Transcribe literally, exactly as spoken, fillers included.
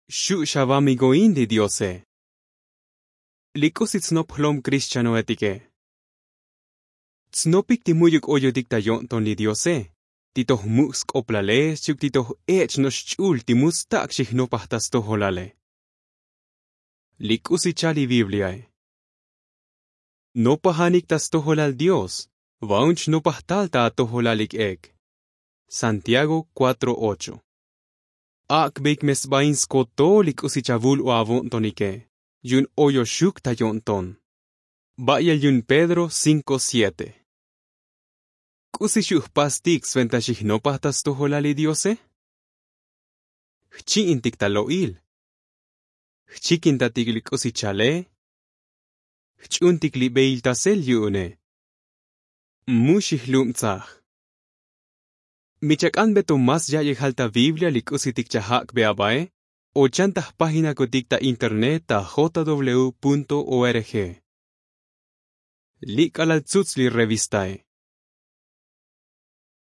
Xu' xavamigoin li diose. Li k'usi tsnop jlom krixchanoetike. Tsnopik ti mu'yuk oyotik ta yo'nton li diose, ti toj muk' sk'oplale xchi'uk ti toj ech' no'ox xch'ul ti mu stak' xijnopaj ta stojolale. Li k'usi chal li bibliae. Nopajanik ta stojolal dios, va'un chnopaj tal ta atojolal lik ek. Santiago 4:8. Ak'beik me sbain skotol li k'usi chavul o avo'ntonike, yu'un oyoxuk ta yo'nton. Ba'yel yu'un pedro 5:7. K'usi xu' jpastik sventa xijnopaj ta stojolal li diose? Jchi'intik ta lo'il. Jchikintatik li k'usi chale. Jch'untik li beiltasel yu'une. Mu xijlubtsaj. Mi chak'anbe to más ya'yejal ta biblia li k'usitik chajak'be abae, o chan ta jpaginakotik ta internet ta jw org. Li' k'alal tsuts li revistae.